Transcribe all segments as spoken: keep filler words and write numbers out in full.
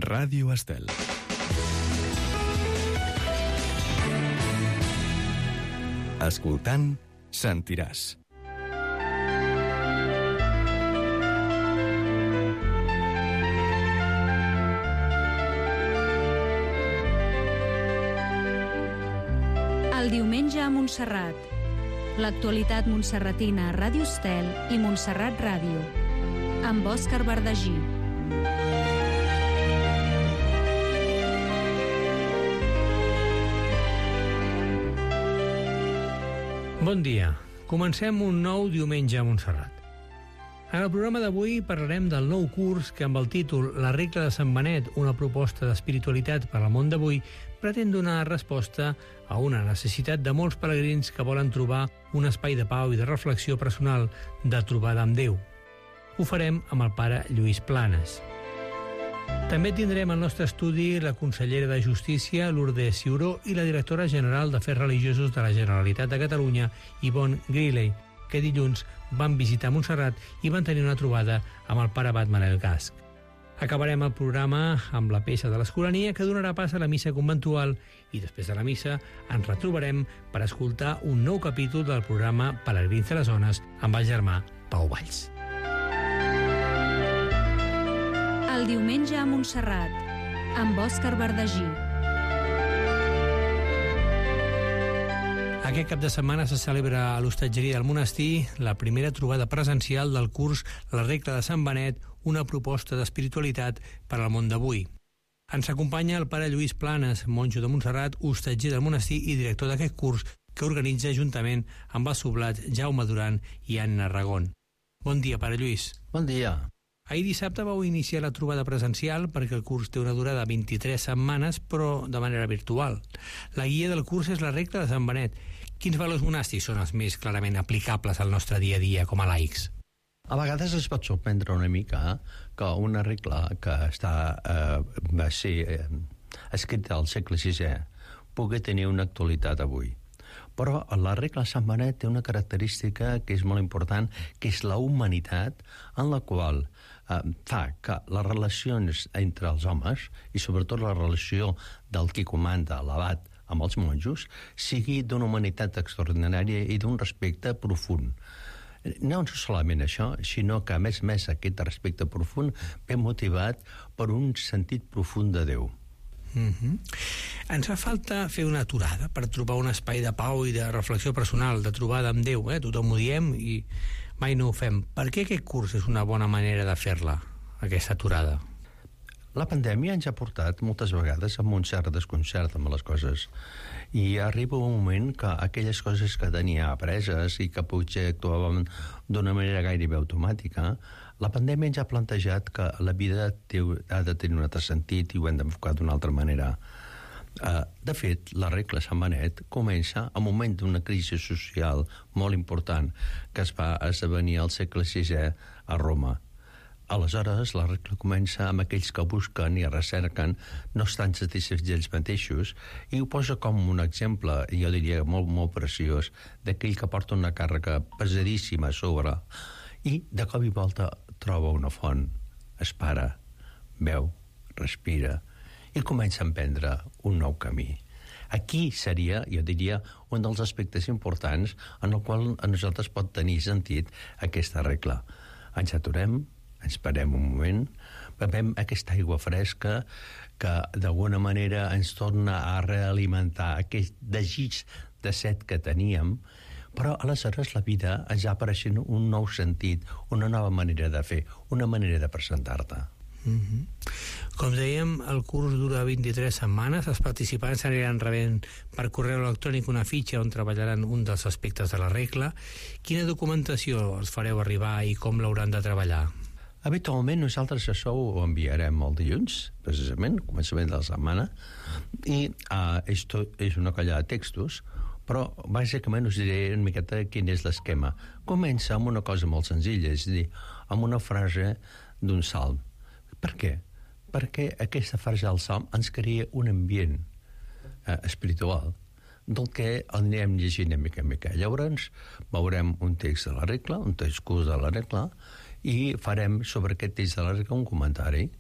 Ràdio Estel. Escoltant, sentiràs. El diumenge a Montserrat. L'actualitat montserratina a Ràdio Estel i Montserrat Ràdio. Amb Òscar Bardagí. Bon dia. Comencem un nou diumenge a Montserrat. En el programa d'avui parlarem del nou curs que, amb el títol La regla de Sant Benet, una proposta d'espiritualitat per al món d'avui, pretén donar resposta a una necessitat de molts pelegrins que volen trobar un espai de pau i de reflexió personal, de trobada amb Déu. Ho farem amb el pare Lluís Planes. També tindrem al nostre estudi la consellera de Justícia, Lourdes Ciuró, i la directora general d'Afers Religiosos de la Generalitat de Catalunya, Yvonne Griley, que dilluns van visitar Montserrat i van tenir una trobada amb el pare abat Manel Gasc. Acabarem el programa amb la peça de l'Escolania, que donarà pas a la missa conventual, i després de la missa ens retrobarem per escoltar un nou capítol del programa Pelegrins de les Zones amb el germà Pau Valls. El diumenge a Montserrat, amb Òscar Bardagí. Aquest cap de setmana se celebra a l'hostatgeria del monestir la primera trobada presencial del curs La regla de Sant Benet, una proposta d'espiritualitat per al món d'avui. Ens acompanya el pare Lluís Planes, monjo de Montserrat, hostatger del monestir i director d'aquest curs, que organitza juntament amb el sublat Jaume Duran i Anna Ragón. Bon dia, pare Lluís. Bon dia. Ahir dissabte vau iniciar la trobada presencial perquè el curs té una durada de vint-i-tres setmanes, però de manera virtual. La guia del curs és la regla de Sant Benet. Quins valors monàstics són els més clarament aplicables al nostre dia a dia com a laics? A vegades es pot sorprendre una mica que una regla que està, eh, va ser eh, escrita al segle sisè pugui tenir una actualitat avui. Però la regla de Sant Benet té una característica que és molt important, que és la humanitat, en la qual eh, fa que les relacions entre els homes, i sobretot la relació del qui comanda, l'abat, amb els monjos, sigui d'una humanitat extraordinària i d'un respecte profund. No solament això, sinó que, a més a més, aquest respecte profund ve motivat per un sentit profund de Déu. Mm-hmm. Ens fa falta fer una aturada per trobar un espai de pau i de reflexió personal, de trobada amb Déu, eh? Tothom ho diem i mai no ho fem. Per què aquest curs és una bona manera de fer-la, aquesta aturada? La pandèmia ens ha portat moltes vegades amb un cert desconcert amb les coses, i arriba un moment que aquelles coses que tenia apreses i que potser actuàvem d'una manera gairebé automàtica, la pandèmia ens ha plantejat que la vida té, ha de tenir un altre sentit i ho hem d'enfocar d'una altra manera. Uh, de fet, la regla Sant Benet comença al moment d'una crisi social molt important que es va esdevenir al segle sisè a Roma. Aleshores, la regla comença amb aquells que busquen i recerquen no estan satisfets ells mateixos, i ho posa com un exemple, jo diria molt, molt preciós, d'aquell que porta una càrrega pesadíssima a sobre i de cop i volta troba una font, es para, veu, respira i comença a emprendre un nou camí. Aquí seria, jo diria, un dels aspectes importants en el qual a nosaltres pot tenir sentit aquesta regla. Ens aturem, ens parem un moment, bevem aquesta aigua fresca que d'alguna manera ens torna a realimentar aquest desig de set que teníem, però aleshores la vida ens va apareixent un nou sentit, una nova manera de fer, una manera de presentar-te. Mm-hmm. Com dèiem, el curs dura vint-i-tres setmanes. Els participants aniran rebent per correu electrònic una fitxa on treballaran un dels aspectes de la regla. Quina documentació els fareu arribar i com l'hauran de treballar? Habitualment nosaltres això ho enviarem el dilluns, precisament, començament de la setmana, i uh, esto és una colla de textos, però bàsicament us diré una miqueta quin és l'esquema. Comença amb una cosa molt senzilla, és a dir, amb una frase d'un salm. Per què? Perquè aquesta frase del salm ens crea un ambient eh, espiritual del que anirem llegint a mica en mica. Llavors veurem un text de la regla, un text curs de la regla, i farem sobre aquest text de la regla un comentari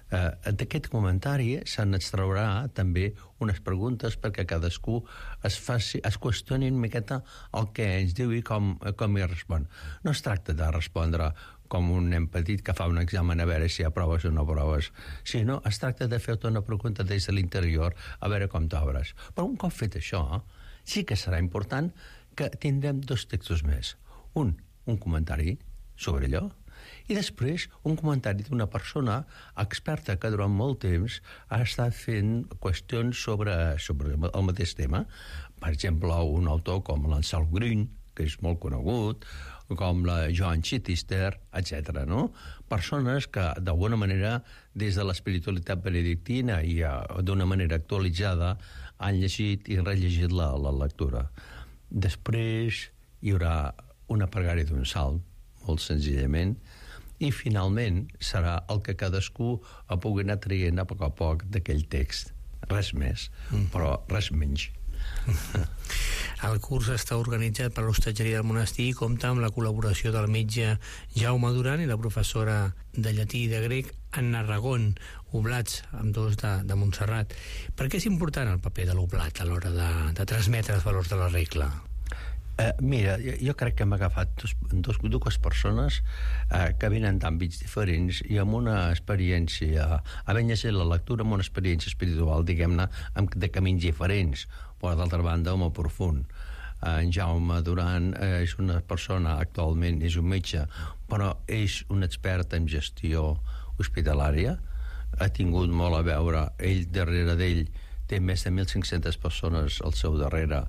Eh, d'aquest comentari se n'extraurà també unes preguntes perquè cadascú es, faci, es qüestioni una miqueta el que ens diu i com, com hi respon. No es tracta de respondre com un nen petit que fa un examen a veure si aproves o no aproves, sinó es tracta de fer-te una pregunta des de l'interior a veure com t'obres. Però un cop fet això, sí que serà important que tindrem dos textos més. Un, un comentari sobre allò, i després un comentari d'una persona experta que durant molt temps ha estat fent qüestions sobre, sobre el mateix tema. Per exemple, un autor com l'Anselm Grün, que és molt conegut, com la Joan Chittister, etcètera. No? Persones que, d'alguna manera, des de l'espiritualitat benedictina i d'una manera actualitzada, han llegit i rellegit la, la lectura. Després hi haurà una pregària d'un salm, molt senzillament, i finalment serà el que cadascú pugui anar traient a poc a poc d'aquell text. Res més, mm. però res menys. El curs està organitzat per l'Hostatgeria del Monestir i compta amb la col·laboració del metge Jaume Duran i la professora de llatí i de grec Anna Ragón, oblats, amb dos de, de Montserrat. Per què és important el paper de l'oblat a l'hora de, de transmetre els valors de la regla? Uh, mira, jo, jo crec que hem agafat dos, dos, dues persones uh, que venen d'àmbits diferents i amb una experiència, havent llegit la lectura amb una experiència espiritual, diguem-ne, de camins diferents, però d'altra banda molt profund. Uh, en Jaume Duran uh, és una persona, actualment és un metge, però és un expert en gestió hospitalària, ha tingut molt a veure, ell darrere d'ell té més de mil cinc-centes persones al seu darrere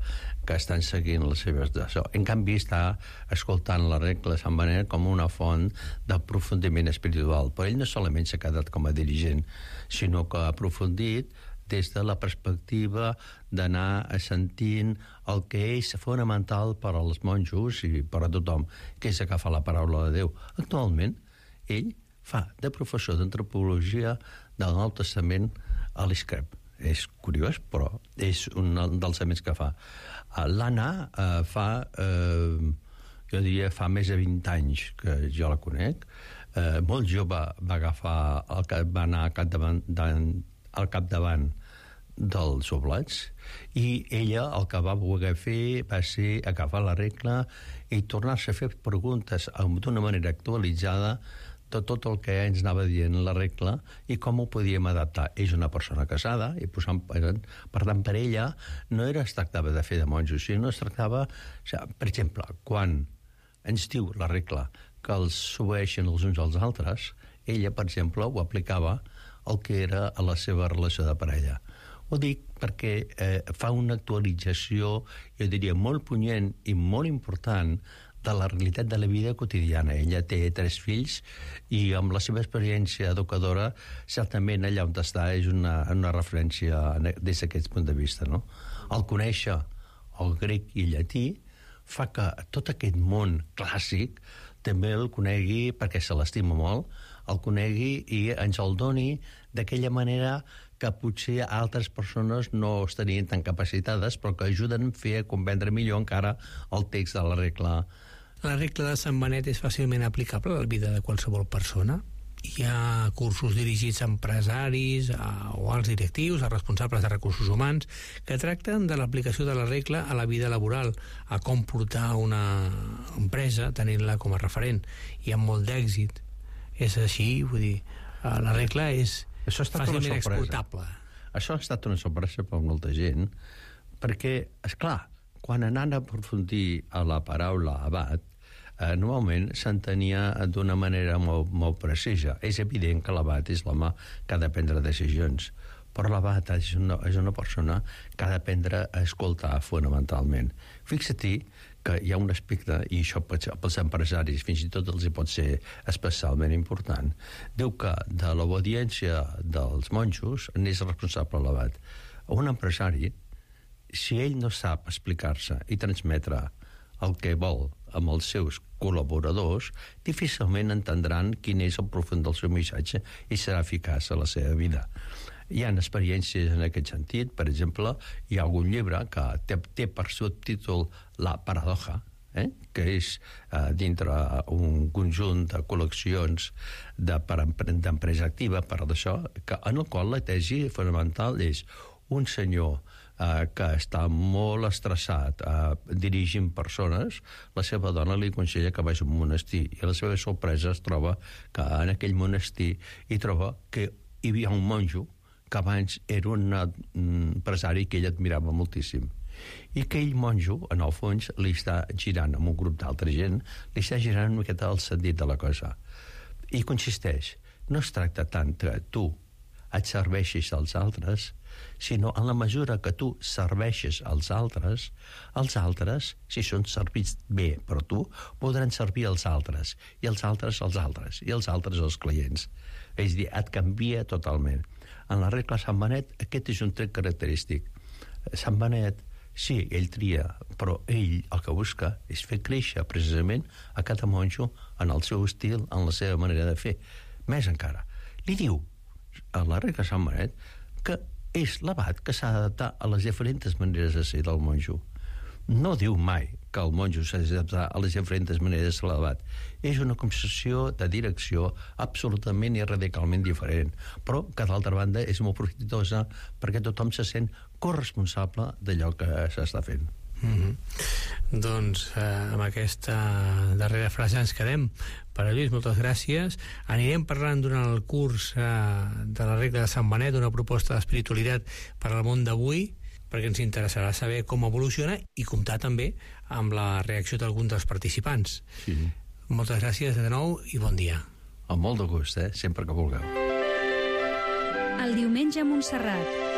que estan seguint les seves... En canvi, està escoltant la regla de Sant Benet com una font d'aprofundiment espiritual. Però ell no solament s'ha quedat com a dirigent, sinó que ha aprofundit des de la perspectiva d'anar sentint el que és fonamental per als monjos i per a tothom, que és agafar la paraula de Déu. Actualment, ell fa de professor d'antropologia del Nou Testament a l'Escrep. És curiós, però és un dels elements que fa. L'Anna eh, fa, eh, jo diria, fa més de vint anys que jo la conec. Eh, molt jove va agafar, el, va anar al capdavant, al capdavant dels oblats i ella el que va voler fer va ser agafar la regla i tornar-se a fer preguntes d'una manera actualitzada de tot el que ens anava dient la regla i com ho podíem adaptar. És una persona casada i posant, per tant, per ella no era es tractava de fer de monjos, sinó es tractava, per exemple, quan ens diu la regla que els s'obeeixen els uns als altres, ella, per exemple, ho aplicava el que era a la seva relació de parella. Ho dic perquè eh, fa una actualització, jo diria, molt punyent i molt important de la realitat de la vida quotidiana. Ella té tres fills i amb la seva experiència educadora certament allà on està és una, una referència des d'aquest punt de vista. No? El conèixer el grec i el llatí fa que tot aquest món clàssic també el conegui perquè se l'estima molt, el conegui i ens el doni d'aquella manera que potser altres persones no estarien tan capacitades, però que ajuden a fer comprendre millor encara el text de la regla. La regla de Sant Benet és fàcilment aplicable a la vida de qualsevol persona? Hi ha cursos dirigits a empresaris a, o als directius, a responsables de recursos humans, que tracten de l'aplicació de la regla a la vida laboral, a com portar una empresa tenint-la com a referent, i amb molt d'èxit. És així, vull dir, la regla és fàcilment exportable. Això ha estat una sorpresa per molta gent, perquè, esclar, quan anant a aprofundir a la paraula abat, eh, normalment s'entenia d'una manera molt, molt precisa. És evident que l'abat és l'home que ha de prendre decisions, però l'abat és una, és una persona que ha d'aprendre a escoltar fonamentalment. Fixa-t'hi que hi ha un aspecte, i això pels empresaris fins i tot els hi pot ser especialment important. Diu que de l'obediència dels monjos n'és responsable l'abat. Un empresari, si ell no sap explicar-se i transmetre el que vol amb els seus col·laboradors, difícilment entendran quin és el profund del seu missatge i serà eficaç a la seva vida. Hi ha experiències en aquest sentit. Per exemple, hi ha algun llibre que té, té per subtítol La paradoja, eh? que és eh, dintre un conjunt de col·leccions de, per d'empresa activa, per d'això, que, en el qual la tesi fonamental és un senyor eh, que està molt estressat eh, dirigint persones, la seva dona li aconsella que vagi a un monestir, i a la seva sorpresa es troba que en aquell monestir hi troba que hi havia un monjo que abans era un empresari que ell admirava moltíssim. I aquell monjo, en el fons, li està girant amb un grup d'altra gent, li està girant una miqueta el sentit de la cosa. I consisteix, no es tracta tant que tu et serveixis als altres, sinó en la mesura que tu serveixes als altres, els altres, si són servits bé per tu, podran servir als altres, i els altres als altres, i els altres als clients. És a dir, et canvia totalment. En la regla Sant Benet, aquest és un tret característic. Sant Benet, sí, ell tria, però ell el que busca és fer créixer precisament a cada monjo en el seu estil, en la seva manera de fer. Més encara, li diu a la regla Sant Benet que és l'abat que s'ha d'adaptar a les diferents maneres de ser del monjo. No diu mai que el monjo s'ha d'adaptar a les diferents maneres de ser l'abat. És una concepció de direcció absolutament i radicalment diferent, però que d'altra banda és molt profitosa perquè tothom se sent corresponsable d'allò que s'està fent. Mm-hmm. Doncs eh, amb aquesta darrera frase ens quedem. Pare Lluís, moltes gràcies. Anirem parlant durant el curs eh, de la regla de Sant Benet, una proposta d'espiritualitat per al món d'avui, perquè ens interessarà saber com evoluciona i comptar també amb la reacció d'alguns dels participants. Sí. Moltes gràcies de nou i bon dia. Amb molt de gust, eh? Sempre que vulgueu. El diumenge a Montserrat,